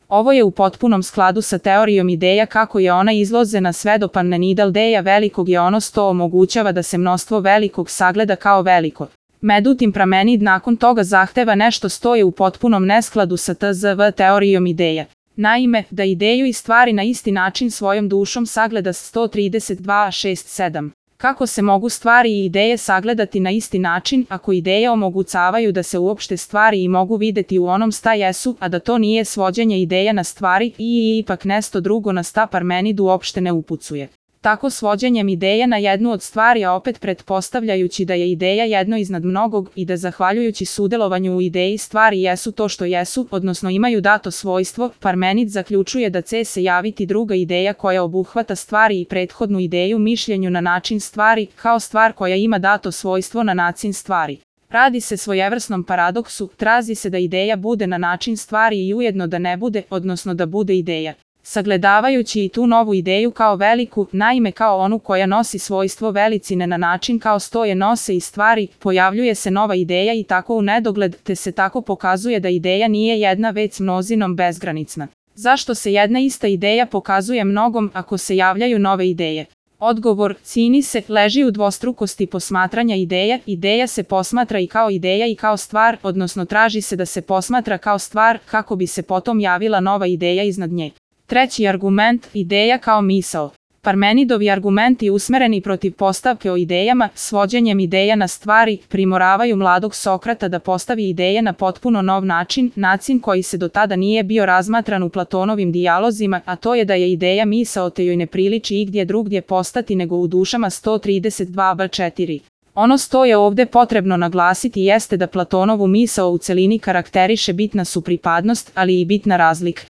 Ovo je u potpunom skladu sa teorijom ideja kako je ona izložena sve do Parmenideja velikog je ono sto omogućava da se mnoštvo velikog sagleda kao veliko. Međutim Parmenid nakon toga zahteva nešto stoje u potpunom neskladu sa tzv. Teorijom ideja. Naime, da ideju i stvari na isti način svojom dušom sagleda 132.6.7. Kako se mogu stvari i ideje sagledati na isti način ako ideje omogućavaju da se uopšte stvari i mogu videti u onom šta jesu, a da to nije svođenje ideja na stvari i ipak nešto drugo na šta Parmenid uopšte ne upucuje. Tako svođenjem ideje na jednu od stvari, a opet pretpostavljajući da je ideja jedno iznad mnogog i da zahvaljujući sudjelovanju u ideji stvari jesu to što jesu, odnosno imaju dato svojstvo, Parmenid zaključuje da će se javiti druga ideja koja obuhvata stvari i prethodnu ideju mišljenju na način stvari, kao stvar koja ima dato svojstvo na način stvari. Radi se svojevrsnom paradoksu, traži se da ideja bude na način stvari i ujedno da ne bude, odnosno da bude ideja. Sagledavajući i tu novu ideju kao veliku, naime kao onu koja nosi svojstvo velicine na način kao stoje nose i stvari, pojavljuje se nova ideja i tako u nedogled, te se tako pokazuje da ideja nije jedna već množinom bezgranicna. Zašto se jedna ista ideja pokazuje mnogom ako se javljaju nove ideje? Odgovor, čini se, leži u dvostrukosti posmatranja ideje. Ideja se posmatra i kao ideja i kao stvar, odnosno traži se da se posmatra kao stvar kako bi se potom javila nova ideja iznad nje. Treći argument, ideja kao misao. Parmenidovi argumenti usmereni protiv postavke o idejama, svođenjem ideja na stvari, primoravaju mladog Sokrata da postavi ideje na potpuno nov način, način koji se do tada nije bio razmatran u Platonovim dijalozima, a to je da je ideja misao te joj ne priliči igdje drugdje postati nego u dušama 132b4. Ono što je ovdje potrebno naglasiti jeste da Platonovu misao u celini karakteriše bitna su pripadnost, ali i bitna razlika.